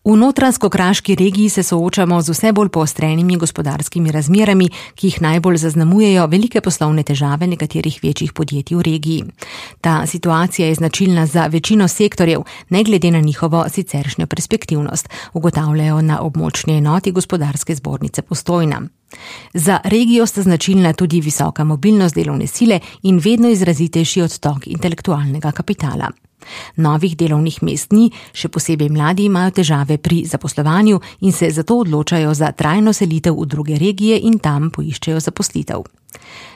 V Notranjsko-Kraški regiji se soočamo z vse bolj poostrenimi gospodarskimi razmerami, ki jih najbolj zaznamujejo velike poslovne težave nekaterih večjih podjetij v regiji. Ta situacija je značilna za večino sektorjev, ne glede na njihovo siceršnjo perspektivnost, ugotavljajo na območni enoti Gospodarske zbornice Postojna. Za regijo sta značilna tudi visoka mobilnost delovne sile in vedno izrazitejši odtok intelektualnega kapitala. Novih delovnih mest ni, še posebej mladi imajo težave pri zaposlovanju in se zato odločajo za trajno selitev v druge regije in tam poiščejo zaposlitev.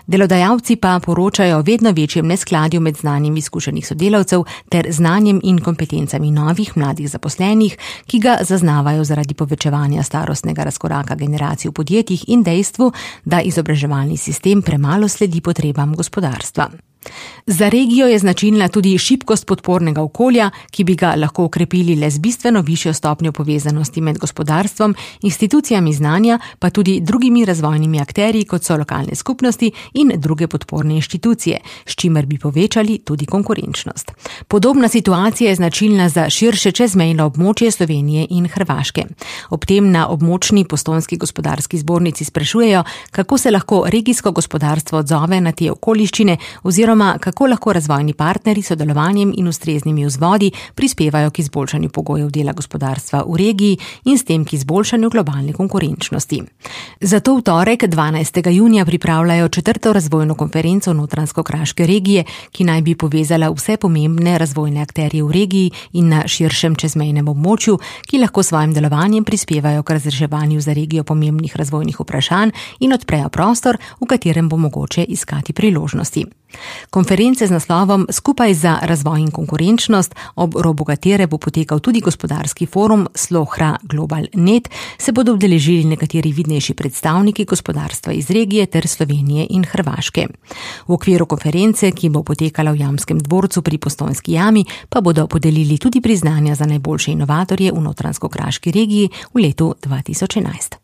Delodajalci pa poročajo o vedno večjem neskladju med znanjem izkušenih sodelavcev ter znanjem in kompetencami novih mladih zaposlenih, ki ga zaznavajo zaradi povečevanja starostnega razkoraka generacij v podjetjih in dejstvu, da izobraževalni sistem premalo sledi potrebam gospodarstva. Za regijo je značilna tudi šibkost podpornega okolja, ki bi ga lahko okrepili le z bistveno višjo stopnjo povezanosti med gospodarstvom, institucijami znanja, pa tudi drugimi razvojnimi akterji, kot so lokalne skupnosti in druge podporne inštitucije, s čimer bi povečali tudi konkurenčnost. Podobna situacija je značilna za širše čezmejno območje Slovenije in Hrvaške. Ob tem na območni Postojnski gospodarski zbornici sprašujejo, kako se lahko regijsko gospodarstvo odzove na te okoliščine oziroma kako lahko razvojni partnerji s sodelovanjem in ustreznimi vzvodi prispevajo k izboljšanju pogojev dela gospodarstva v regiji in s tem k izboljšanju globalne konkurenčnosti. Zato v torek 12. junija pripravljajo 4. razvojno konferenco Notranjsko-Kraške regije, ki naj bi povezala vse pomembne razvojne akterje v regiji in na širšem čezmejnem območju, ki lahko svojim delovanjem prispevajo k razreševanju za regijo pomembnih razvojnih vprašanj in odprejo prostor, v katerem bo mogoče iskati priložnosti. Konference z naslovom Skupaj za razvoj in konkurenčnost, ob robu katere bo potekal tudi gospodarski forum Slohra Global Net, se bodo udeležili nekateri vidnejši predstavniki gospodarstva iz regije ter Slovenije in Hrvaške. V okviru konference, ki bo potekala v Jamskem dvorcu pri Postojnski jami, pa bodo podelili tudi priznanja za najboljše inovatorje v Notranjsko-Kraški regiji v letu 2011.